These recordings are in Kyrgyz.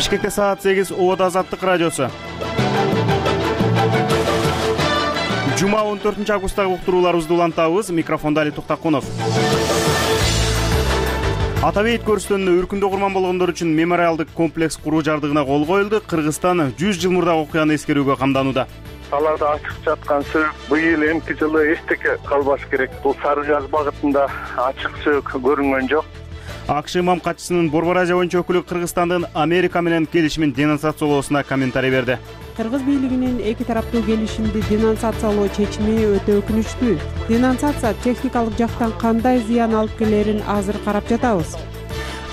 Бишкекте саат 8, Обод Азаттык радиосу. Жума 14 августтагы уктурууларыбызды улантабыз. Микрофонда Али Токтакунов. Ата бейит көрүстөнүнө үркүндө курман болгондор үчүн мемориалдык комплекс куруу жардыгына кол коюлду. Кыргызстан 100 жыл мурдагы окуяны эскерүүгө камданууда. Талаада ачык жаткан сөөк быйыл эмки жылы эчтеке калбаш керек. Бул Сары Жаз багытында ачык сөөк көрүнгөн жок. АКШ имам катчысынын Борбор Азия боюнча өкүлү Кыргызстандын Америка менен келишимин денонсациялоосуна комментарий берди. Кыргыз бийлигинин эки тараптуу келишимди денонсациялоо чечими өтө өкүнүчтүү. Денонсация техникалык жактан кандай зыян алып келерин азыр карап жатабыз.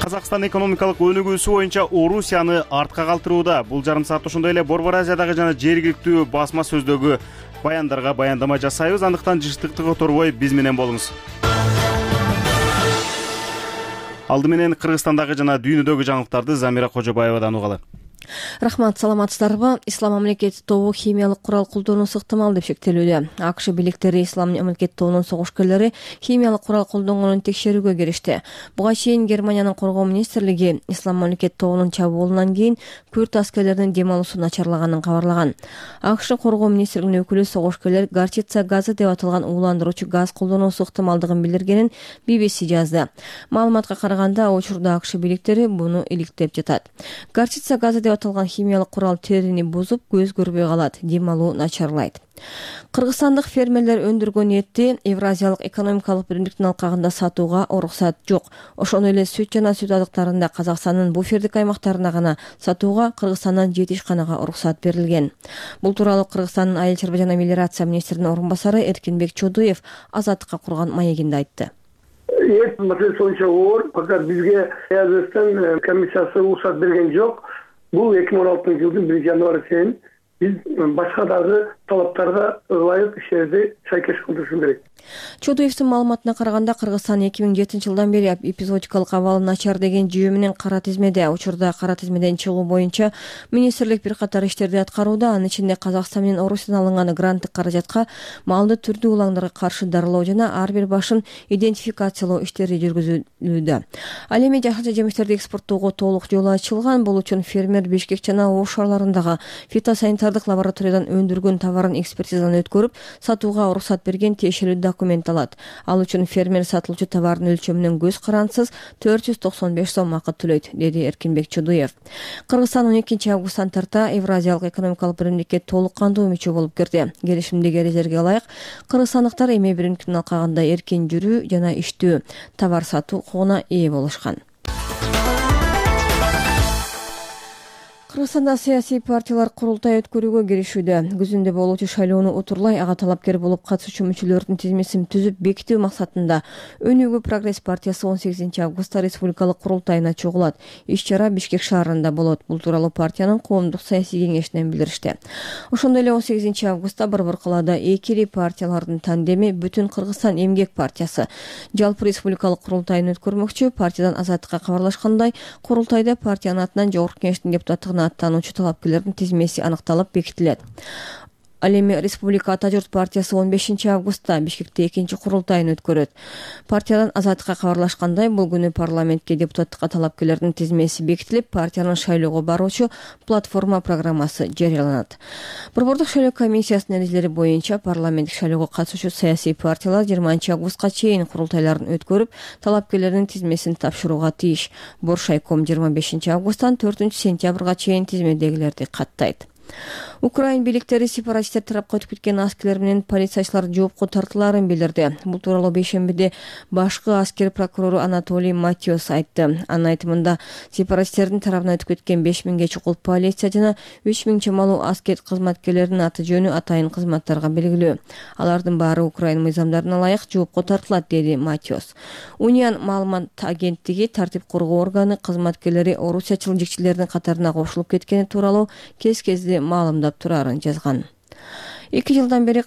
Казакстан экономикалык өнүгүүсү боюнча Орусияны артка калтырууда. Бул жарым саатта ошондой эле Борбор Азиядагы жана жергиликтүү басма сөздөгү баяндарга баяндама жасайбыз. Андыктан жыштыкты которбой биз менен болуңуз. Алды менен Кыргызстандагы жана дүйнөдөгү жаңылыктарды Замира Кожобаевадан угалы. Рахмат, саламатсыздарбы? Ислам мамлекети тобу химиялык курал колдонуусу ыктымал деп шектелүүдө. АКШ бийликтери Ислам мамлекети тобунун согушкерлери химиялык курал колдонгонун текшерүүгө киришти. Буга чейин Германиянын коргоо министрлиги Ислам мамлекети тобунун чабуулунан кийин күрд аскерлеринин дем алуусу начарлаганын кабарлаган. АКШ коргоо министрлигинин өкүлү согушкерлер горчица газы деп аталган ууландыруучу газ колдонуусу ыктымалдыгын билдиргенин BBC жазды. Маалыматка караганда, учурда АКШ бийликтери буну иликтеп жатат. Горчица газы деп аталган химиялык курал терини бузуп, көз көрбөй калат, дем алуу начарлайт. Кыргызстандык фермерлер өндүргөн этти Евразиялык экономикалык биримдиктин алкагында сатууга уруксат жок. Ошондой эле сүт жана сүт азыктарында Казакстандын буфердик аймактарына гана сатууга Кыргызстандан 7 ишканага уруксат берилген. Бул тууралуу Кыргызстандын айыл чарба жана мелиорация министринин орун басары Эркинбек Чодуев Азаттыкка курган маегинде айтты. Эт маселеси боюнча оор, факат бизге Өзбекстан комиссиясы уруксат берген жок. Бул 2016 жылдын 1 январына чейин биз башка дагы талаптарга ылайык иштерди сайкеш кылдырышыбыз керек. Чодуевдин маалыматына караганда, Кыргызстан 2007 жылдан бери эпизодикалык абалы начар деген жүйө менен кара тизмеде. Учурда кара тизмеден чыгуу боюнча министрлик бир катар иштерди аткарууда. Анын ичинде Казакстан менен Орусиядан алынган гранттык каражатка малды түрдүү улаңдарга каршы дарылоо жана ар бир башын идентификациялоо иштери жүргүзүлүүдө. Ал эми жашыл жемиштерди экспорттоого толук жол ачылган. Бул үчүн фермер Бишкек жана Ош шаарларындагы фитосанитардык лабораториядан өндүргөн товарын экспертизадан өткөрүп, сатууга уруксат берген тиешелүү документ алат. Ал үчүн фермер сатылуучу товардын өлчөмүнөн көз карансыз 495 сом акы төлөйт, деди Эркинбек Чудуев. Кыргызстан 12 августтан тарта Евразиялык экономикалык биримдикке толук кандуу мүчө болуп кирди. Келишимдеги эрежелерге ылайык кыргызстандыктар эми биримдиктин алкагында эркен жүрүү жана иштөө, товар сатуу укугуна ээ болушкан. Кыргызстанда саясий партиялар курултай өткөрүүгө киришүүдө. Күзүндө болуучу шайлоону утурлай ага талапкер болуп катышуучу мүчөлөрдүн тизмесин түзүп бекитүү максатында Өнүгүү Прогресс партиясы 18 августта республикалык курултайына чогулат. Иш-чара Бишкек шаарында болот. Бул тууралуу партиянын коомдук саясий кеңешинен билдиришти. Ошондой эле 18 августта Борбор калаада экири партиялардын тандеми Бүтүн Кыргызстан эмгек партиясы жалпы республикалык курултайын өткөрмөкчү. Партиядан Азаттыкка кабарлашкандай, курултайда партиянын атынан жогорку кеңештин депутаттыгына аттануучу талапкерлердин тизмеси аныкталып бекитилет. Ал эми Республика Ата журт партиясы 15 августта Бишкекте экинчи курултайын өткөрөт. Партиядан Азаттыкка кабарлашкандай, бул күнү парламентке депутаттыкка талапкерлердин тизмеси бекитилип, партиянын шайлоого баруучу платформа программасы жарыяланат. Борбордук шайлоо комиссиясынын эрежелери боюнча парламенттик шайлоого катышуучу саясий партиялар 20 августка чейин курултайларын өткөрүп, талапкерлердин тизмесин тапшырууга тийиш. Боршайком 25 августтан 4 сентябрга чейин тизмедегилерди каттайт. Украин бийликтери сепаратисттер тарапка өтүп кеткен аскерлер менен полициячылар жоопко тартылаарын билдирди. Бул тууралуу бейшембиде башкы аскер прокурору Анатолий Матиос айтты. Анын айтымында, сепаратисттердин тарабынан өтүп кеткен 5000ге чукул полиция жана 3000 чамалуу аскер кызматкерлеринин аты жөнү атайын кызматтарга белгилүү. Алардын баары Украин мыйзамдарына ылайык жоопко тартылат, деди Матиос. Униан маалымат агенттиги тартип коргоо органы кызматкерлери орусиячыл жикчилердин катарына кошулуп кеткени тууралуу кез-кезде маалымдап турарын жазган. 2 жылдан бери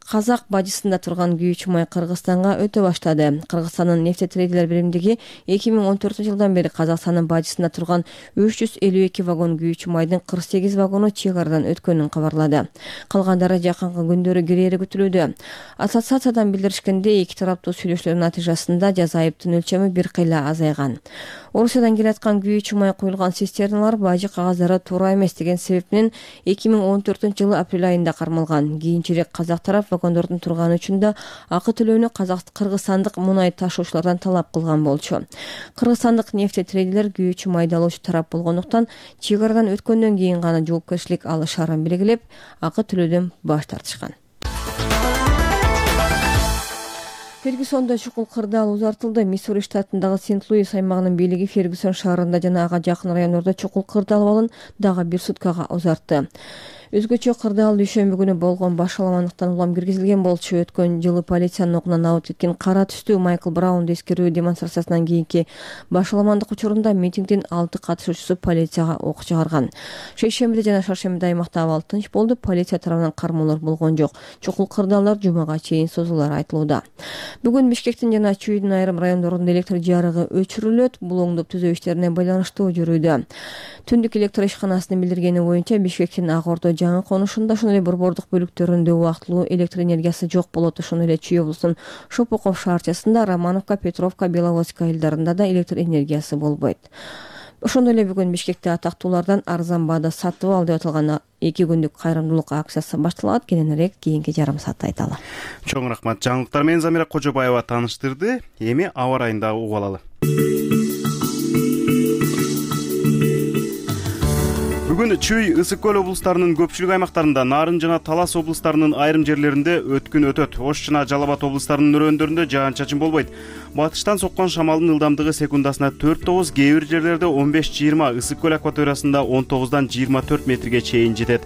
Казак бажысында турган күйүү чумай Кыргызстанга өтө баштады. Кыргызстандын нефтетрейдерлер биримдиги 2014-жылдан бери Казакстандын бажысында турган 352 вагон күйүү чумайдын 48 вагону чек арадан өткөнүн кабарлады. Калгандары жакынкы күндөрү кирери күтүлүүдө. Ассоциациядан билдиришкендей, эки тараптуу сүйлөшүүлөр натыйжасында жаза айыптын өлчөмү бир кыйла азайган. Орусиядан келаткан күйүү чумай куюлган цистерналар бажы кагаздары туура эмес деген себеп менен 2014-жылы апрель айында кармалган. Кийинчерээк казак тарап вагондордун турганы үчүн да акы төлөөнү кыргызстандык мунай ташуучулардан талап кылган болчу. Кыргызстандык нефтетрейдерлер күйүү чумайды алуучу тарап болгондуктан чек арадан өткөндөн кийин гана жоопкерчилик алышаарын белгилеп, акы төлөөдөн баш тартышкан. Фергюсондо чукул кырдаал узартылды. Миссури штатындагы Сент-Луис аймагынын бийлиги Фергюсон шаарында жана ага жакын райондордо чукул кырдаал абалын дагы бир суткага узартты. Өзгөчө кырдаал дүйшөмбү күнү болгон баш аламандыктан улам киргизилген болчу. Өткөн жылы полициянын окунан абыт кеткен кара түстүү Майкл Браунду эскерүү демонстрациясынан кийинки баш аламандык учурунда митингдин 6 катышуучусу полицияга ок чыгарган. Шейшембиде жана шаршембиде аймакта абал тынч болду. Полиция тарабынан кармоолор болгон жок. Чукул кырдаалдар жумага чейин созулары айтылууда. Бүгүн Бишкектин жана Чүйдүн айрым райондорунда электр жарыгы өчүрүлөт. Бул оңдоп түзөө иштерине байланыштуу жүрүүдө. Түндүк электр ишканасынын билдиргени боюнча Бишкектин Ак Ордо жаңы конушунда, ошондой эле борбордук бөлүктөрүндө убактылуу электр энергиясы жок болот. Ошондой эле Чүй облусунун Шопоков шаарчасында, Романовка, Петровка, Беловодская айылдарында да электр энергиясы болбойт. Ошондой эле бүгүн Бишкекте атактуулардан арзан баада сатып ал деп аталган 2 күндүк кайрымдуулук акциясы башталат. Кененирээк кийинки жарым саатта айталы. Чоң рахмат. Жаңылыктар менен Замира Кожобаева тааныштырды. Эми аба райын дагы угуп алалы. Бүгүн Чүй, Ысык көл облустарынын көпчүлүк аймактарында, Нарын жана Талас облустарынын айрым жерлеринде өткүн өтөт. Ош жана Жалал Абад облустарынын өрөөндөрүндө жаан-чачын болбойт. Батыштан соккон шамалдын ылдамдыгы секундасына 4-9, кээ бир жерлерде 15-20, Ысык көл акваториясында 19-дан 24 метрге чейин жетет.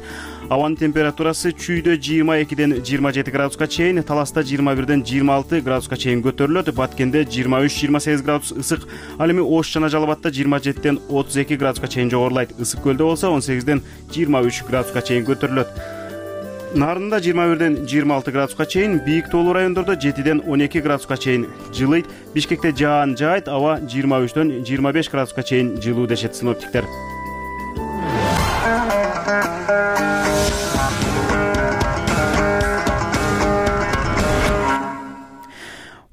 Абанын температурасы Чүйдө 22-ден 27 градуска чейин, Таласта 21-ден 26 градуска чейин көтөрүлөт. Баткенде 23-28 градус ысык. Ал эми Ош жана Жалал Абадта 27-ден 32 градуска чейин жогорулайт. Ысык көлдө болсо 18-ден 23 градуска чейин көтөрүлөт. Нарында 21-ден 26 градуска чейин, бийик тоолуу райондордо 7-ден 12 градуска чейин жылыйт. Бишкекте жаан жаайт, аба 23-ден 25 градуска чейин жылуу дешет синоптиктер.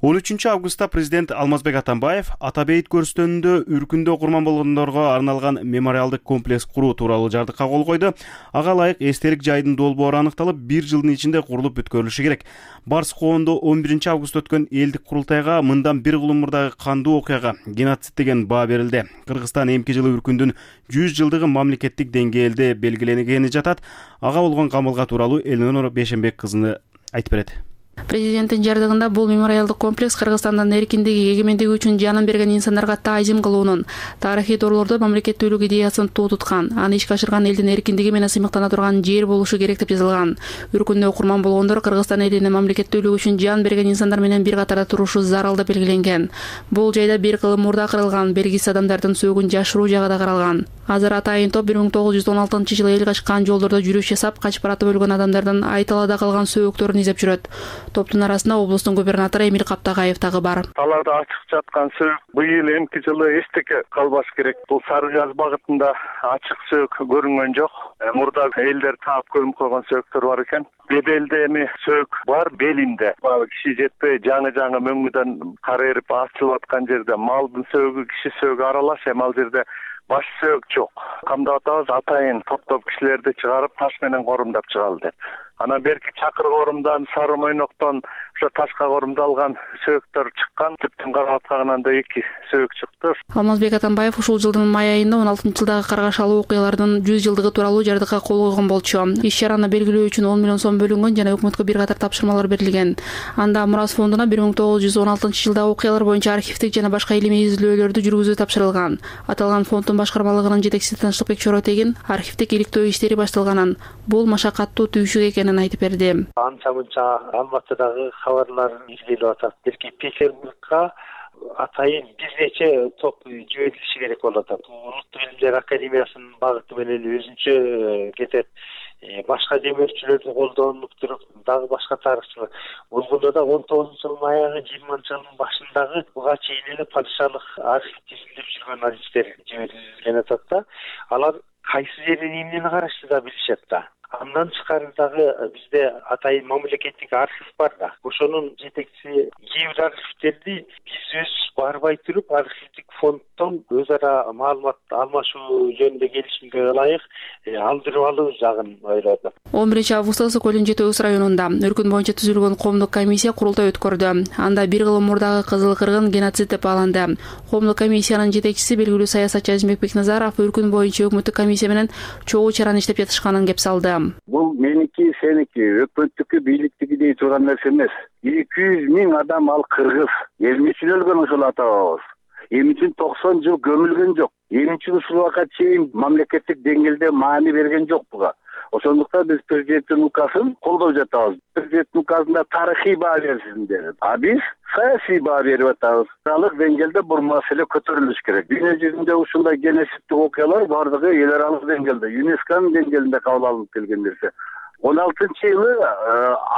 13 августта президент Алмазбек Атамбаев Ата бейит көрүстөнүндө үркүндө курман болгондорго арналган мемориалдык комплекс куруу тууралуу жардыкка кол койду. Ага ылайык эстелик жайдын долбоору аныкталып, 1 жылдын ичинде курулуп бүткөрүлүшү керек. Барс коондо 11 август өткөн элдик курултайга мындан бир кулумурдагы кандуу окуяга геноцид деген баа берилди. Кыргызстан эмки жылы үркүндүн 100 жылдыгы мамлекеттик деңгээлде белгиленгени жатат. Ага болгон камылга тууралуу Элнур Бешенбек кызы айтып берет. Президенттин жардыгында бул мемориалдык комплекс Кыргызстандын эркиндиги, эгемендиги үчүн жанын берген инсандарга таазим кылуунун, тарыхый торлордо мамлекеттүүлүк идеясын туу туткан, аны ишке ашырган элдин эркиндиги менен сыймыктана турган жер болушу керек деп жазылган. Үркүндө курман болгондор Кыргызстан элинин мамлекеттүүлүгү үчүн жан берген инсандар менен бир катарда турушу зарыл деп белгиленген. Бул жайда бир кылым мурда кырылган, белгисиз адамдардын сөөгүн жашыруу жагы да каралган. Азыр атайын топ 1916-жылы эл качкан жолдордо жүрүш жасап, качып баратып өлгөн адамдардын айталада калган сөөгүктөрүн издеп жүрөт. Топтун арасында облустун губернатору Эмил Каптагаев дагы бар. Талаада ачык жаткан сөөгүк быйыл эмки жылы эстекке калбаш керек. Бул Сары Жаз багытында ачык сөөгүк көрүнгөн жок. Мурда элдер таап көмүп койгон сөөгүктөр бар экен. Беделде эми сөөгүк бар, белинде. Киши жетпей жаңы мөңгүдөн кар эрип ачылып аткан жерде малдын сөөгү, киши сөөгү аралаш, эми ал жерде баш сөөгүк жок. Камдап атабыз, атайын топ кишилерди чыгарып таш менен корумдап чыгалы деп. Анан берки Чакыр корумдан, Сары Мойноктон ошо ташка корумдалган сөөгүктөр чыккан. Түптүн карабаткагынан да 2 сөөгүк чыкты. Алмазбек Атамбаев ушул жылдын май айында 16-жылдагы каргашалуу окуялардын 100 жылдыгы тууралуу жардыкка кол койгон болчу. Иш-чараны белгилөө үчүн 10 миллион сом бөлүнгөн жана өкмөткө бир катар тапшырмалар берилген. Анда Мурас фондуна 1916-жылдагы окуялар боюнча архивдик жана башка илимий изилдөөлөрдү жүргүзүү тапшырылган. Аталган фонддун башкармалыгынын жетекчиси Тынчтыкбек Чоротегин архивдик иликтөө иштери башталганын, бул машакаттуу түйшүк экенин айтып берди. Анча-мынча Алматыдагы кабарлар изилип атат. Берки Петербургга атайын бир нече топ жиберилиши керек болуп атат. Улуттук илимдер академиясынын багыты менен өзүнчө кетет. башка демөөрчүлөрдү колдонуп туруп дагы башка тарыхчылар болгондо да 19-жылдын аягы 20-жылдын башындагы буга чейин эле падышалык архив тизилдеп жүргөн адистер жиберилген атат да. Алар кайсы жерден эмнени карашты да билишет да. Андан тышкары дагы бизде атайын мамлекеттик архив бар да. Ошонун жетекчиси кээ бир архивтерди биз өзүбүз барбай туруп архивдик фонддон өз ара маалымат алмашуу жөнүндө келишимге ылайык алдырып алуу жагын ойлоду. 11-августта Ысык көлүнүн Жети Өз районунда өркүн боюнча түзүлгөн коомдук комиссия курултай өткөрдү. Анда бир кыл мурдагы кызыл кыргын геноцид деп бааланды. Коомдук комиссиянын жетекчиси белгилүү саясатчы Азимбек Бекназаров өркүн боюнча өкмөттүк комиссия менен чогуу чараны иштеп жатышканын кеп салды. Бул меники, сеники, өкмөттүкү, бийликтики дей турган нерсе эмес. 200 000 адам ал кыргыз. Эмне үчүн өлгөн ошол ата-бабабыз? Эмне үчүн 90 жыл көмүлгөн жок? Эмне үчүн ушул убакка чейин мамлекеттик деңгээлде маани берген жок буга? Ошондуктан биз президенттин указын колдоп жатабыз. Президенттин указында тарыхый баа берилсин деди. А биз саясий баа берип атабыз. Аралык деңгээлде бул маселе көтөрүлүш керек. Дүйнө жүзүндө ушундай геноцидтик окуялар бардыгы эл аралык деңгээлде, ЮНЕСКОнун деңгээлинде кабыл алынып келген нерсе. 16-жылы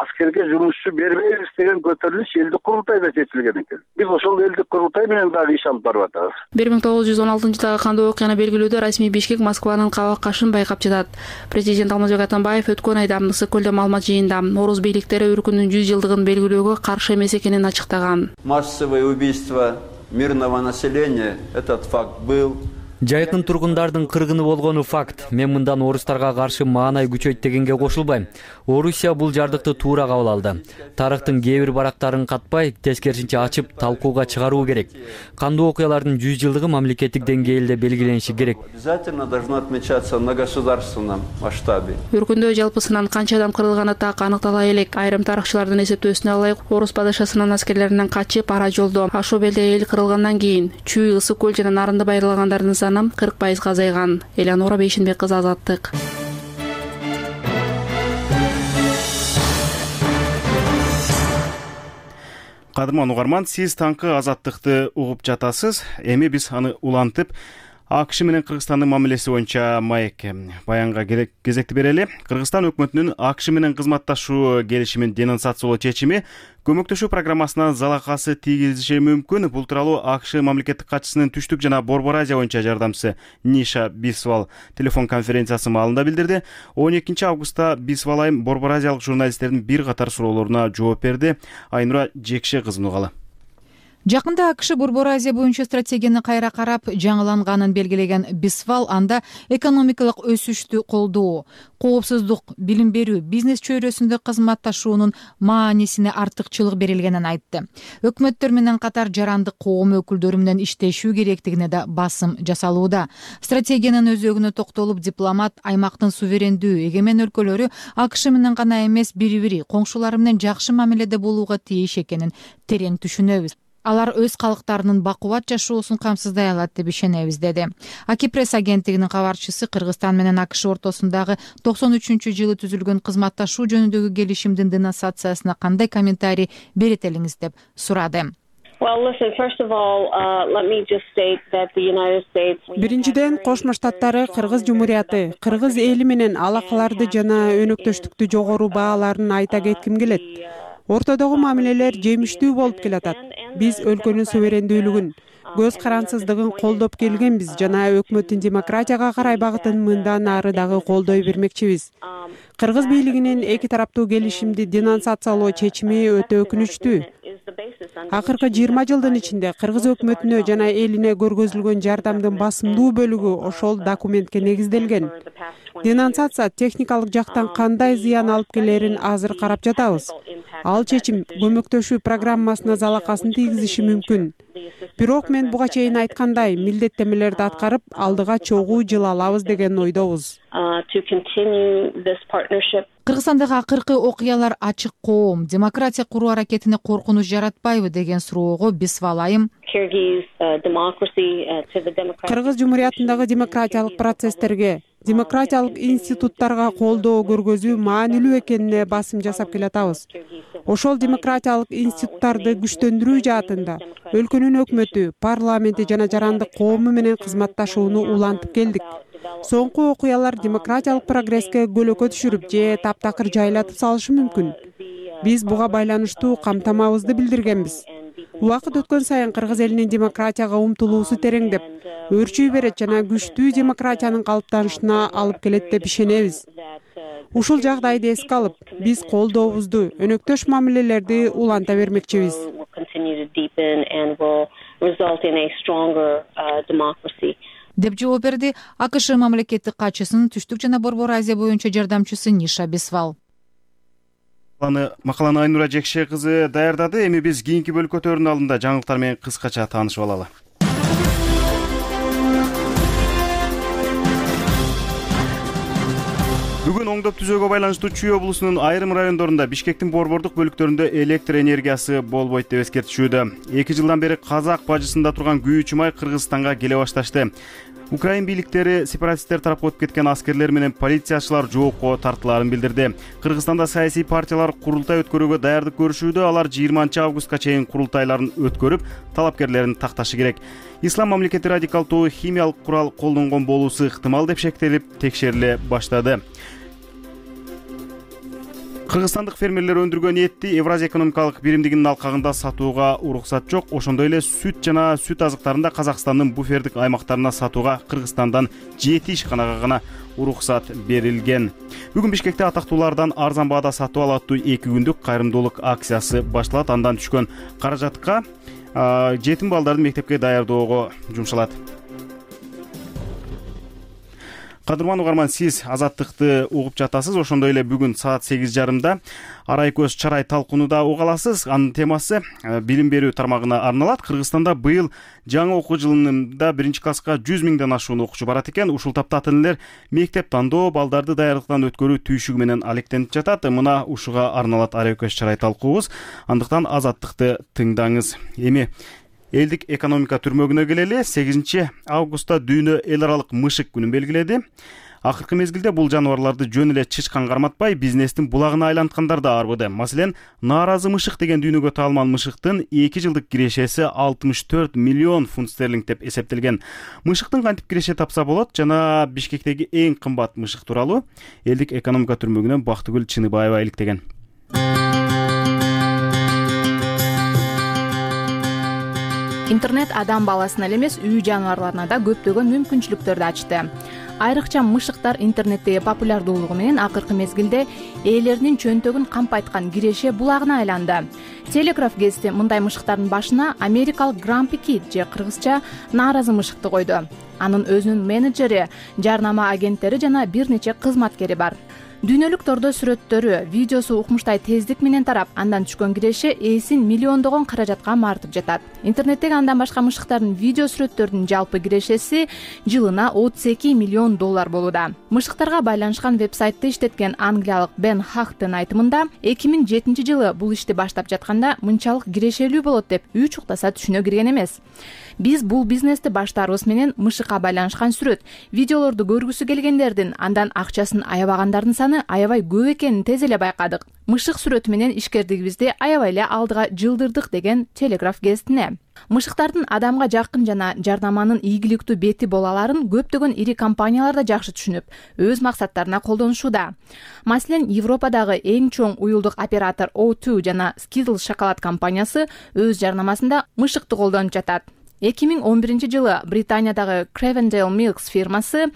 аскерге жумушчу бербейбиз деген көтөрүлүш элдик курултайда чечилген экен. Биз ошол элдик курултай менен дагы иш алып барып атабыз. 1916-жылдагы кандуу окуяны белгилөөдө расмий Бишкек Москванын кабак кашын байкап жатат. Президент Алмазбек Атамбаев өткөн айда Ысык көлдө маалымат жыйында орус бийликтери өркүндүн 100 жылдыгын белгилөөгө каршы эмес экенин ачыктаган. Массовое убийство мирного населения, этот факт был. Жайкын тургундардын кыргыны болгону факт. Мен мындан орустарга каршы маанай күчөйт дегенге кошулбайм. Орусия бул жардыкты туура кабыл алды. Тарыхтын кээ бир барактарын катпай, тескерисинче ачып, талкууга чыгаруу керек. Кандуу окуялардын 100 жылдыгы мамлекеттик деңгээлде белгилениши керек. Обязательно должно отмечаться на государственном масштабе. Өркүндө жалпысынан канча адам кырылганы так аныктала элек. Айрым тарыхчылардын эсептөөсүнө ылайык, орус падышасынын аскерлеринен качып ара жолдо Ашоб элде эл кырылгандан кийин Чүй, Ысык көл жана Нарынды байырлагандардын 40% азайган. Элеонора Бейшенбек кызы, Азаттык. Кадырман угарман, сиз таңкы Азаттыкты угуп жатасыз. Эми биз аны улантып, АКШ менен Кыргызстандын мамилеси боюнча маекке баянга кезекти берели. Кыргызстан өкмөтүнүн АКШ менен кызматташуу келишимин денонсациялоо чечими көмөктөшүү программасына залакасы тийгизиши мүмкүн. Бул тууралуу АКШ мамлекеттик катчысынын Түштүк жана Борбор Азия боюнча жардамчысы Ниша Бисвал телефон конференциясы маалында билдирди. 12 августта Бисвал айым Борбор Азиялык журналисттердин бир катар суроолоруна жооп берди. Айнура Жекше кызын угалы. Жакында АКШ Борбор Азия боюнча стратегияны кайра карап, жаңыланганын белгилеген Бисвал анда экономикалык өсүштү колдоо, коопсуздук, билим берүү, бизнес чөйрөсүндө кызматташуунун маанисине артыкчылык берилгенин айтты. Өкмөттөр менен катар жарандык коом өкүлдөрү менен иштешүү керектигине да басым жасалууда. Стратегиянын өзөгүнө токтолуп, дипломат аймактын суверендүү, эгемен өлкөлөрү АКШ менен гана эмес, бири-бири коңшулары менен жакшы мамиледе болууга тийиш экенин терең түшүнөбүз. Алар өз калктарынын бакубат жашоосун камсыздай алат деп ишенебиз, деди. Аки пресс агенттигинин кабарчысы Кыргызстан менен АКШ ортосундагы 93-жылы түзүлгөн кызматташуу жөнүндөгү келишимдин денонсациясына кандай комментарий берет элиңиз деп сурады. Биринчиден, Кошмо Штаттары Кыргыз Жумурияты, Кыргыз эли менен алакаларды жана өнөктөштүктү жогору бааларын айта кетким келет. Ортодогу мамилелер жемиштүү болуп келатат. Биз өлкөнүн суверендүүлүгүн, көз карансыздыгын колдоп келгенбиз жана өкмөттүн демократияга карай багытын мындан ары дагы колдой бермекчибиз. Кыргыз бийлигинин эки тараптуу келишимди денонсациялоо чечими өтө өкүнүчтүү. Акыркы 20 жылдын ичинде Кыргыз өкмөтүнө жана элине көргөзүлгөн жардамдын басымдуу бөлүгү ошол документке негизделген. Денонсация техникалык жактан кандай зыян алып келерин азыр карап жатабыз. Ал чечим көмөктөшүү программасына залакасын тийгизиши мүмкүн. Бирок мен буга чейин айткандай, милдеттемелерди аткарып, алдыга чогуу жыл алабыз деген ойдобуз. Кыргызстандагы акыркы окуялар ачык коом, демократия куруу аракетине коркунуч жаратпайбы деген суроого Бисвал айым Кыргыз Жумуриятындагы демократиялык процесстерге, демократиялык институттарга колдоо көргөзүү маанилүү экенине басым жасап келатабыз. Ошол демократиялык институттарды күчтөндүрүү жаатында өлкөнүн өкмөтү, парламенти жана жарандык коому менен кызматташууну улантып келдик. Соңку окуялар демократиялык прогресске көлөкө түшүрүп же таптакыр жайлатып салышы мүмкүн. Биз буга байланыштуу камтамабызды билдиргенбиз. Убакыт өткөн сайын кыргыз элинин демократияга умтулуусу тереңдеп, өөрчүй берет жана күчтүү демократиянын калыптанышына алып келет деп ишенебиз. Ушул жагдайды эске алып, биз колдообузду, өнөктөш мамилелерди уланта бермекчибиз. Деп жооп берди АКШ мамлекеттик катчысынын Түштүк жана Борбор Азия боюнча жардамчысы Ниша Бисвал. Макаланы Айнура Жекше кызы даярдады. Эми биз кийинки бөлкөтөрдүн алдында жаңылыктар менен кыскача таанышып алалы. Бүгүн оңдоп түзөөгө байланыштуу Чүй облусунун айрым райондорунда Бишкектин борбордук бөлүктөрүндө электр энергиясы болбойт деп эскертишүүдө. 2 жылдан бери Казак бажысында турган күйүүчү май Кыргызстанга келе башташты. Украин бийликтери сепаратисттер тарапка өтүп кеткен аскерлер менен полициячылар жоопко тартылаарын билдирди. Кыргызстанда саясий партиялар курултай өткөрүүгө даярдык көрүшүүдө. Алар 20 августка чейин курултайларын өткөрүп, талапкерлерин такташы керек. Ислам мамлекети радикалдуу химиялык курал колдонгон болуусу ыктымал деп шектелип, текшериле баштады. Кыргызстандык фермерлер өндүргөн этти Евразия экономикалык биримдигинин алкагында сатууга уруксат жок. Ошондой эле сүт жана сүт азыктарын да Казакстандын буфердик аймактарына сатууга Кыргызстандан 7 ишканага гана уруксат берилген. Бүгүн Бишкекте атактуулардан арзан баада сатып алаттуу 2 күндүк кайрымдуулук акциясы башталат. Андан түшкөн каражатка жетим балдарды мектепке даярдоого жумшалат. Кадырман угарман, сиз Азаттыкты угуп жатасыз. Ошондой эле бүгүн саат 8:30 Арай көз чарай талкуунуда уга аласыз. Анын темасы билим берүү тармагына арналат. Кыргызстанда быйыл жаңы окуу жылында 1-класска 100 миңден ашуун окуучу барат экен. Ушул тапта ата-энелер мектеп тандоо, балдарды даярдыктан өткөрүү түйшүгү менен алектенип жатат. Мына ушуга арналат Арай көз чарай талкуубуз. Андыктан Азаттыкты тыңдаңыз. Эми элдик экономика түрмөгүнө келели. 8 августта дүйнө эл аралык мышык күнүн белгиледи. Акыркы мезгилде бул жаныбарларды жөн эле чычкан карматпай, бизнестин булагына айланткандар да арбыды. Маселен, нааразы мышык деген дүйнөгө таалман мышыктын 2 жылдык кирешеси 64 миллион фунт стерлинг деп эсептелген. Мышыктын кантип киреше тапса болот жана Бишкектеги эң кымбат мышык тууралуу элдик экономика түрмөгүнөн Бактыгүл Чыныбаева иликтеген. Интернет адам баласына эле эмес, үй жаныбарларына да көптөгөн мүмкүнчүлүктөрдү ачты. Айрыкча мышыктар интернеттеги популярдуулугу менен акыркы мезгилде ээлеринин чөнтөгүн кампайткан киреше булагына айланды. Телеграф гезити мындай мышыктардын башына америкалык Grumpy Kid же кыргызча нааразы мышыкты койду. Анын өзүнүн менеджери, жарнама агенттери жана бир нече кызматкери бар. Дүйнөлүк тордо сүрөттөрү, видеосу укмуштай тездик менен тарап, андан түшкөн киреше ээсин миллиондогон каражатка мартып жатат. Интернеттеги андан башка мышыктардын видео сүрөттөрдүн жалпы кирешеси жылына 32 миллион доллар болууда. Мышыктарга байланышкан вебсайтты иштеткен англиялык Бен Хахтын айтымында 2007 жылы бул ишти баштап жатканда мынчалык кирешелүү болот деп үй чуктаса түшүнө кирген эмес. Биз бул бизнести баштаарыбыз менен мышыкка байланышкан сүрөт, видеолорду көргүсү келгендердин, андан акчасын аябагандардын саны аябай көп экенин тез эле байкадык. Мышык сүрөтү менен ишкердигибизди аябай эле алдыга жылдырдык деген Телеграф гезитине. Мышыктардын адамга жакын жана жардаманын ийгиликтүү бети боло аларын көптөгөн ири компаниялар да жакшы түшүнүп, өз максаттарына колдонушууда. Маселен, Европадагы эң чоң уюлдук оператор O2 жана Skittles шоколад компаниясы өз жарнамасында мышыкты колдонуп жатат. 2011 жылы Британиядагы Cravendale Milks фирмасы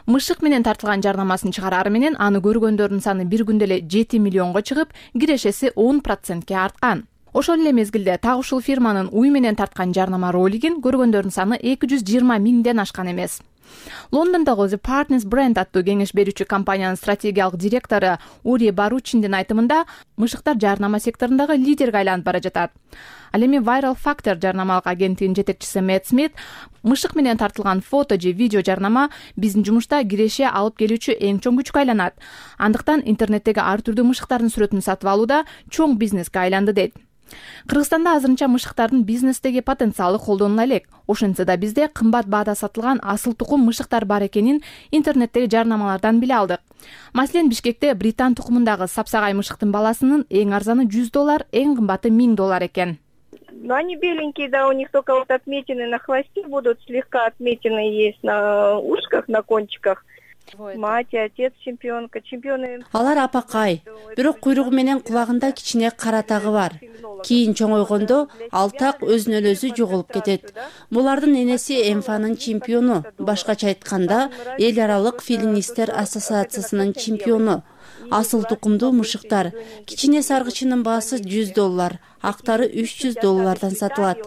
мышык менен тартылган жарнамасын чыгарары менен аны көргөндөрдүн саны бир күндө эле 7 миллионго чыгып, кирешеси 10%ке арткан. Ошол эле мезгилде так ушул фирманын уй менен тарткан жарнама ролигин көргөндөрдүн саны 220 миңден ашкан эмес. Лондондогу The Partners Brand аттуу кеңеш берүүчү компаниянын стратегиялык директору Ури Баручиндин айтымында, мышыктар жарнама секторундагы лидерге айланып бара жатат. Ал эми Viral Factor жарнамалык агенттигинин жетекчиси Мэтт Смит, мышык менен тартылган фото же видео жарнама биздин жумушта киреше алып келүүчү эң чоң күчкө айланат. Андыктан интернеттеги ар түрдүү мышыктардын сүрөтүн сатып алууда чоң бизнеске айланды дейт. Кыргызстанда азырынча мышыктардын бизнестеги потенциалы колдонула элек. Ошентсе да бизде кымбат баада сатылган асыл тукум мышыктар бар экенин интернеттеги жарнамалардан биле алдык. Маселен, Бишкекте британ тукумундагы сапсагай мышыктын баласынын эң арзаны $100, эң кымбаты $1000 экен. Но они беленькие, да, у них только вот отметины на хвосте будут, слегка отметины есть на ушках, на кончиках. Мать, отец чемпионка, чемпионы. Алар апакай, бирок куйругу менен кулагында кичине кара тагы бар. Кийин чоңойгондо ал так өзүнөн өзү жоголуп кетет. Булардын энеси МФАнын чемпиону, башкача айтканда, эл аралык филинистер ассоциациясынын чемпиону. Асыл тукумдуу мышыктар. Кичине саргычынын баасы $100, актары $300 сатылат.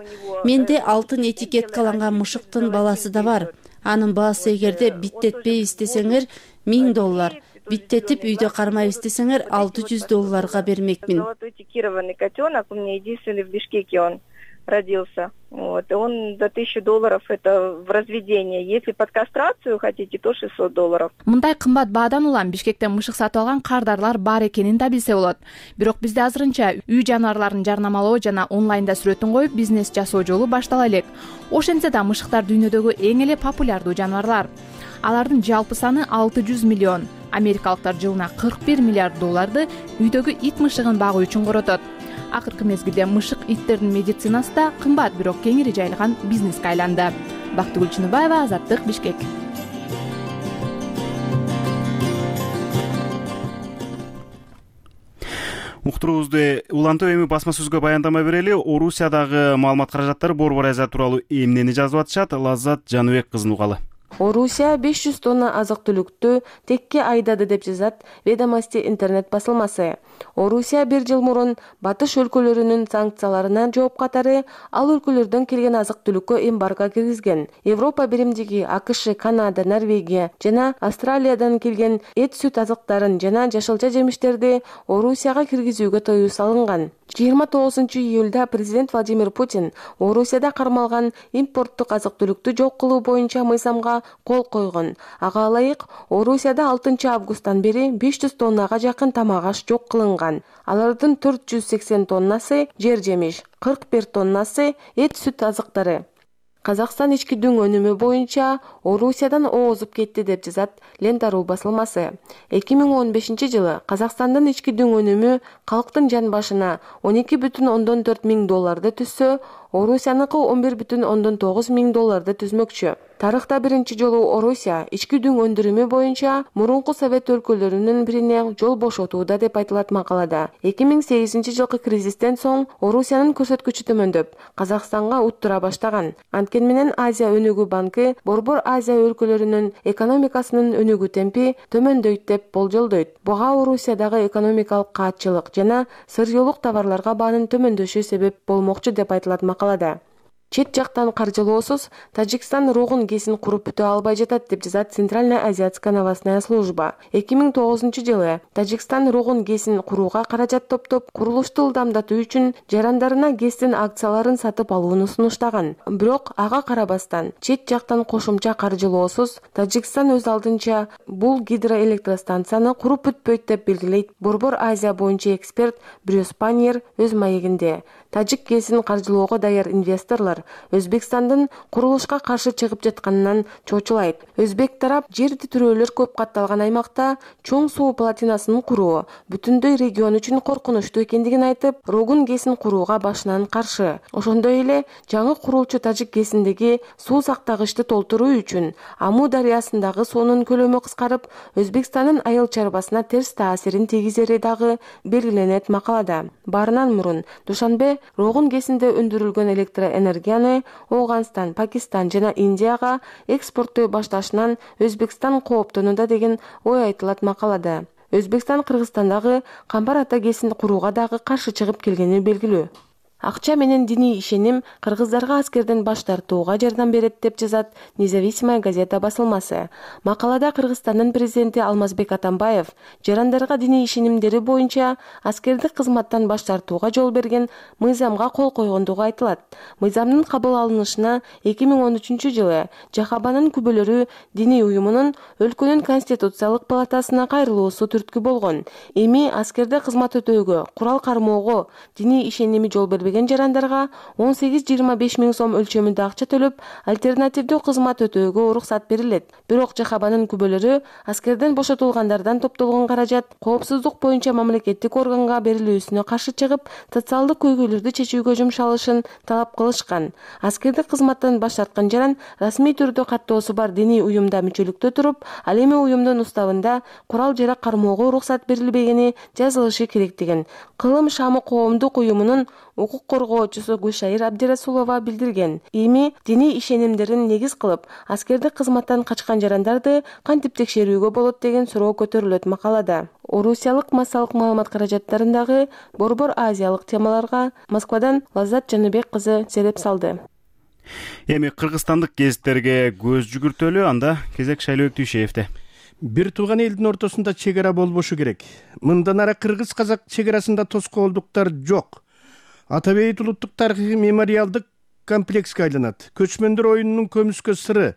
Менде алтын этикеткаланган мышыктын баласы да бар. Анын баасы эгерде биттетпейбиз десеңер $1000, биттетип үйдө кармайбыз десеңер $600 бермекмин. Этикированный котенок, у меня единственный в Бишкеке он родился. Вот, и он до $1000 это в разведение. Если под кастрацию хотите, то $600. Мындай кымбат баадан улам Бишкектен мышык сатып алган кардарлар бар экенин да билсе болот. Бирок бизде азырынча үй жаныбарларын жарнамалоо жана онлайнда сүрөтүн коюп бизнес жасоо жолу баштала элек. Ошентсе да мышыктар дүйнөдөгү эң эле популярдуу жаныбарлар. Алардын жалпы саны 600 миллион. Америкалыктар жылына $41 миллиард үйдөгү ит мышыгын багуу үчүн коротот. Акыркы мезгилде мышык иттердин медицинасы да кымбат, бирок кеңири жайылган бизнеске айланды. Бактыгүл Чыныбаева, Азаттык, Бишкек. Уктуруубузду улантып эми басма сөзгө баяндама берели. Орусиядагы маалымат каражаттары Борбор Азия тууралуу эмнени жазып атышат? Лаззат Жаныбек кызын угалы. Орусия 500 тонна азык-түлүктү текке айдады деп жазат Ведомости интернет басылмасы. Орусия бир жыл мурун батыш өлкөлөрүнүн санкцияларына жооп катары ал өлкөлөрдөн келген азык-түлүккө эмбарго киргизген. Европа биримдиги, АКШ, Канада, Норвегия жана Австралиядан келген эт, сүт азыктарын жана жашылча жемиштерди Орусияга киргизүүгө тыюу салынган. 29-июлда президент Владимир Путин Орусияда кармалган импорттук азык-түлүктү жок кылуу боюнча мыйзамга кол койгон. Ага ылайык, Орусияда 6-августтан бери 500 тоннага жакын тамак аш жок кылынган. Алардын 480 тоннасы жер жемиш, 41 тоннасы эт, сүт азыктары. Казакстан ички дүң өнүмү боюнча Орусиядан оозуп кетти деп жазат Лента.ру басылмасы. 2015 жылы Казакстандын ички дүң өнүмү калктын жан башына $12,4 миң түзсө, Орусияныкы $11,9 миң түзмөкчү. Тарыхта биринчи жолу Орусия ички дүң өндүрүмү боюнча мурунку Совет өлкөлөрүнүн бирине жол бошотууда деп айтылат макалада. 2008 жылкы кризистен соң Орусиянын көрсөткүчү төмөндөп, Казакстанга уттура баштаган. Анткени менен Азия өнүгүү банкы Борбор Азия өлкөлөрүнүн экономикасынын өнүгүү темпи төмөндөйт деп болжолдойт. Буга Орусиядагы экономикалык каатчылык жана сырьёолук товарларга баанын төмөндөшү себеп болмокчу деп айтылат макалада. Чет жактан каржылоосуз Тажикстан рогун кесин куруп бүтө албай жатат деп жазат Центральная азиатская новостная служба. 2009 жылы Тажикстан рогун кесин курууга каражат топтоп, курулушту ылдамдатуу үчүн жарандарына ГЭСтин акцияларын сатып алууну сунуштаган. Бирок ага карабастан чет жактан кошумча каржылоосуз Тажикстан өз алдынча бул гидроэлектростанцияны куруп бүтпөйт деп белгилейт Борбор Азия боюнча эксперт Брюс Паньер өз маегинде. Тажик кесин каржылоого даяр инвесторлор Өзбекстандын курулушка каршы чыгып жатканынан чочулайт. Өзбек тарап жер титирөөлөр көп катталган аймакта чоң суу плотинасын куруу бүтүндөй регион үчүн коркунучтуу экендигин айтып, рогун кесин курууга башынан каршы. Ошондой эле жаңы курулчу Тажик кесиндеги суу сактагычты толтуруу үчүн Аму дарыясындагы суунун көлөмү кыскарып, Өзбекстандын айыл чарбасына терс таасирин тийгизери дагы белгиленет макалада. Баарынан мурун Душанбе рогун кесинде өндүрүлгөн электроэнергияны Оғанстан, Пакистан жана Индияга экспорттой башташынан Өзбекстан кооптонууда деген ой айтылат макалада. Өзбекстан Кыргызстандагы Камбар ата кесин курууга дагы каршы чыгып келгени белгилүү. Акча менен диний ишеним кыргыздарга аскерден баш тартууга жардам берет деп жазат Независимая газета басылмасы. Макалада Кыргызстандын президенти Алмазбек Атамбаев жарандарга диний ишенимдери боюнча аскердик кызматтан баш тартууга жол берген мыйзамга кол койгондугу айтылат. Мыйзамдын кабыл алынышына 2013 жылы Жахабанын күбөлөрү диний уюмунун өлкөнүн конституциялык палатасына кайрылуусу түрткү болгон. Эми аскерде кызмат өтөөгө, курал кармоого диний ишеними жол бербеген келбеген жарандарга 18-25 миң сом өлчөмүндө акча төлөп, альтернативдүү кызмат өтөөгө уруксат берилет. Бирок ЖХБнын күбөлөрү аскерден бошотулгандардан топтолгон каражат коопсуздук боюнча мамлекеттик органга берилүүсүнө каршы чыгып, социалдык көйгөйлөрдү чечүүгө жумшалышын талап кылышкан. Аскердик кызматтан баш тарткан жаран расмий түрдө каттоосу бар диний уюмда мүчөлүктө туруп, ал эми уюмдун уставында курал-жарак кармоого уруксат берилбегени жазылышы керек деген Кылым Шамы коомдук уюмунун укук коргоочусу Гүлшайыр Абдирасулова билдирген. Эми диний ишенимдерин негиз кылып, аскердик кызматтан качкан жарандарды кантип текшерүүгө болот деген суроо көтөрүлөт макалада. Орусиялык массалык маалымат каражаттарындагы борбор азиялык темаларга Москвадан Лаззат Жаныбек кызы сереп салды. Эми кыргызстандык гезиттерге көз жүгүртөлү, анда кезек Шайлообек Түйшеевде. Бир тууган элдин ортосунда чек ара болбошу керек. Мындан ары кыргыз-казак чек арасында тоскоолдуктар жок. Ата Бейит улуттук тарыхый мемориалдык комплекске айланат. Көчмөндөр оюнунун көмүскө сыры.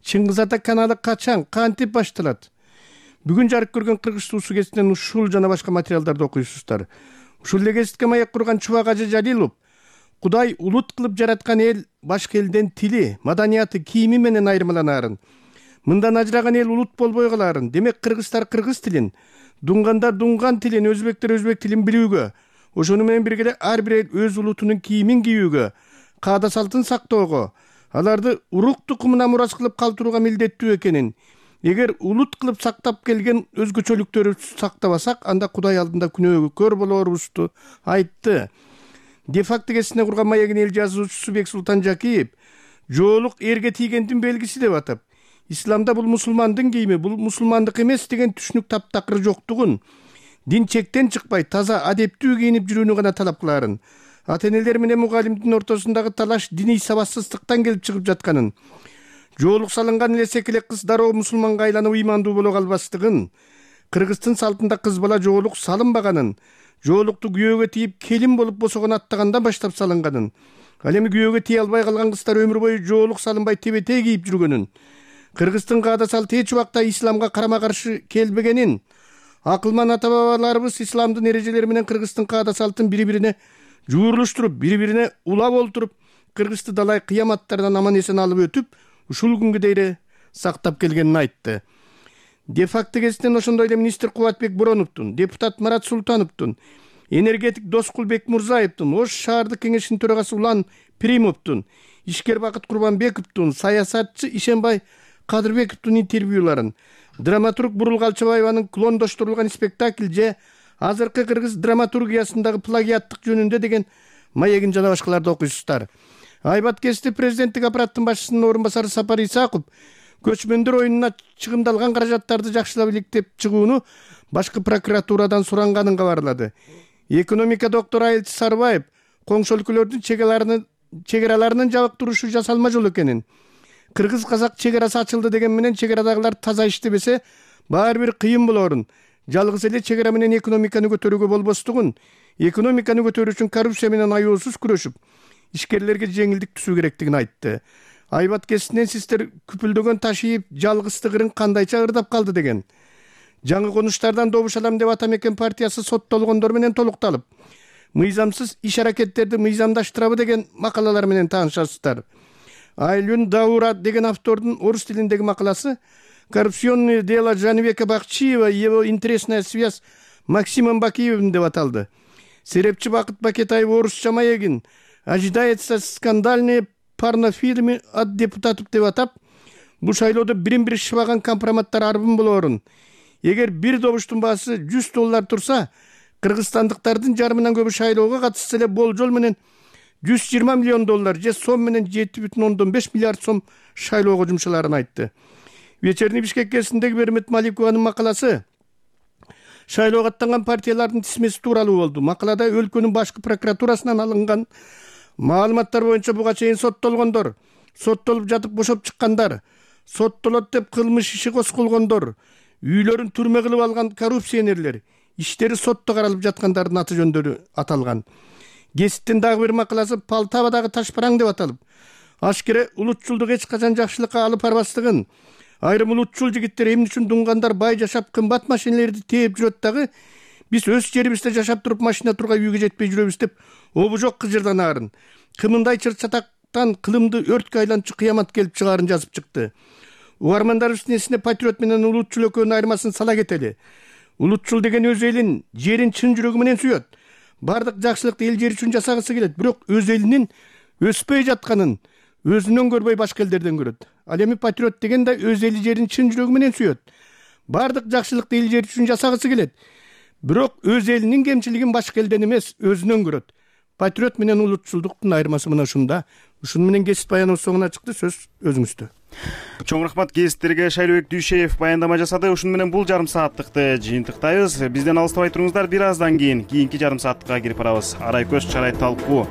Чыңгыз Ата каналы качан, кантип башталат? Бүгүн жарык көргөн Кыргыз суусу гезитинен ушул жана башка материалдарды окуйсуздар. Ушул эле гезитке маек курган Чубак Ажы Жалилов Кудай улут кылып жараткан эл башка элден тили, маданияты, кийими менен айырмаланаарын. Мындан ажыраган эл улут болбой калаарын. Демек кыргыздар кыргыз тилин, дунгандар дунган тилин, өзбектер өзбек тилин билүүгө, ошону менен бирге эле ар бир эл өз улутунун кийимин кийүүгө, каада салтын сактоого, аларды урук тукумуна мурас кылып калтырууга милдеттүү экенин, эгер улут кылып сактап келген өзгөчөлүктөрүбүздү сактабасак, анда Кудай алдында күнөөгө көр болорубузду айтты. Де-факто гезитине курган маегин эл жазуучусу Бексултан Жакиев жоолук эрге тийгендин белгиси деп атап, исламда бул мусулмандын кийими, бул мусулмандык эмес деген түшүнүк таптакыр жоктугун, дин чектен чыкпай таза адептүү кийинип жүрүүнү гана талап кылаарын, ата-энелер менен мугалимдин ортосундагы талаш диний сабатсыздыктан келип чыгып жатканын, жоолук салынган эле секелек кыз дароо мусулманга айланып ыймандуу боло калбастыгын, кыргыздын салтында кыз бала жоолук салынбаганын, жоолукту күйөөгө тийип келин болуп босогон аттагандан баштап салынганын, ал эми күйөөгө тие албай калган кыздар өмүр бою жоолук салынбай тебе-тээ кийип жүргөнүн, кыргыздын каада салты эч убакта исламга карама-каршы келбегенин, акылман ата-бабаларыбыз исламдын эрежелери менен кыргыздын каада салтын бири-бирине жуурулуштуруп, бири-бирине улап олтуруп, кыргызды далай кыяматтардан аман-эсен алып өтүп, ушул күнгө дейин сактап келгенин айтты. Де-факто гезитинен ошондой эле министр Кубатбек Бороновдун, депутат Марат Султановдун, энергетик Доскул Бекмурзаевдин, Ош шаардык кеңешинин төрагасы Улан Примовдун, ишкер Бакыт Курбанбековдун, саясатчы Ишенбай Кадырбековдун интервьюларын, драматург Бурул Алчабаеванын клондоштурулган спектакль же азыркы кыргыз драматургиясындагы плагиаттык жөнүндө деген маегин жана башкаларды окуйсуздар. Айбат гезити президенттик аппараттын башчысынын орун басары Сапар Исаков көчмөндөр оюнуна чыгымдалган каражаттарды жакшылап иликтеп чыгууну башкы прокуратурадан суранганын кабарлады. Экономика доктору Айылчы Сарбаев коңшу өлкөлөрдүн чек араларынын жабык турушу жасалма жол экенин, кыргыз-казак чек арасы ачылды деген менен чек арадагылар таза иштебесе, баары бир кыйын болорун, жалгыз эле чек ара менен экономиканы көтөрүүгө болбостугун, экономиканы көтөрүү үчүн коррупция менен аюусуз күрөшүп, ишкерлерге жеңилдик түзүү керектигин айтты. Айбат гезитинен сиздер күпүлдөгөн таш ийип, жалгыздыгырын кандайча ырдап калды деген. Жаңы конуштардан добуш алам деп Ата Мекен партиясы соттолгондор менен толукталып, мыйзамсыз иш аракеттерди мыйзамдаштырабы деген макалалар менен таанышасыздар. Айлюн Даура деген автордун орус тилиндеги макаласы «Коррупционное дело Жаныбека Бакчиева и его интересная связь Максимом Бакиевым» деп аталды. Серепчи Бакыт Бакетаев орусча маегин «Ожидается скандальные порнофильмы от депутатов» деп атап, бул шайлоодо бирин-бири шыбаган компроматтар арбын болорун. Эгер бир добуштун баасы $100 турса, кыргызстандыктардын жарымынан көбү шайлоого катышса эле болжол менен $120 миллион же сом менен 7,5 миллиард сом шайлоого жумшаларын айтты. Вечерний Бишкек гезитиндеги Бермет Маликованын макаласы шайлоого аттанган партиялардын тизмеси тууралуу болду. Макалада өлкөнүн башкы прокуратурасынан алынган маалыматтар боюнча буга чейин соттолгондор, соттолуп жатып бошоп чыккандар, соттолот деп кылмыш иши козголгондор, үйлөрүн түрмө кылып алган коррупционерлер, иштери сотто каралып жаткандардын аты жөндөрү аталган. Гезиттин дагы бир макаласы Полтавадагы ташпараң деп аталып, ашкере улутчулдук эч качан жакшылыкка алып барбастыгын, айрым улутчул жигиттер эмне үчүн дунгандар бай жашап кымбат машинелерди тээп жүрөт дагы, Биз өз жерибизде жашап туруп машина тургай үйгө жетпей жүрөбүз деп обужок кыжырдан арын. Кымындай чыр-чатактан кылымды өрткө айланчу кыямат келип чыгаарын жазып чыкты. Угармандарыбыздын эсине патриот менен улутчул экөөнүн айырмасын сала кетели. Улутчул деген өз элин, жерин чын жүрөгү менен сүйөт. Бардык жакшылыкты эл жери үчүн жасагысы келет, бирок өз элинин өспөй жатканын өзүнөн көрбөй башка элдерден көрөт. Ал эми патриот деген да өз эли жерин чын жүрөгү менен сүйөт. Бардык жакшылыкты эл жери үчүн жасагысы келет, бирок өз элинин кемчилигин башка элден эмес, өзүнөн көрөт. Патриот менен улутчулдуктун айырмасы мына ушунда. Ушуну менен кесип баяныбыз соңуна чыкты. Сөз өзүңүздө. Чоң рахмат кесиптерге. Шайлообек Дүйшеев баяндама жасады. Ушуну менен бул жарым сааттыкты жыйынтыктайбыз. Бизден алыстабай туруңуздар. Бир аздан кийин кийинки жарым сааттыкка кирип барабыз. Арай көз чарай талкуу.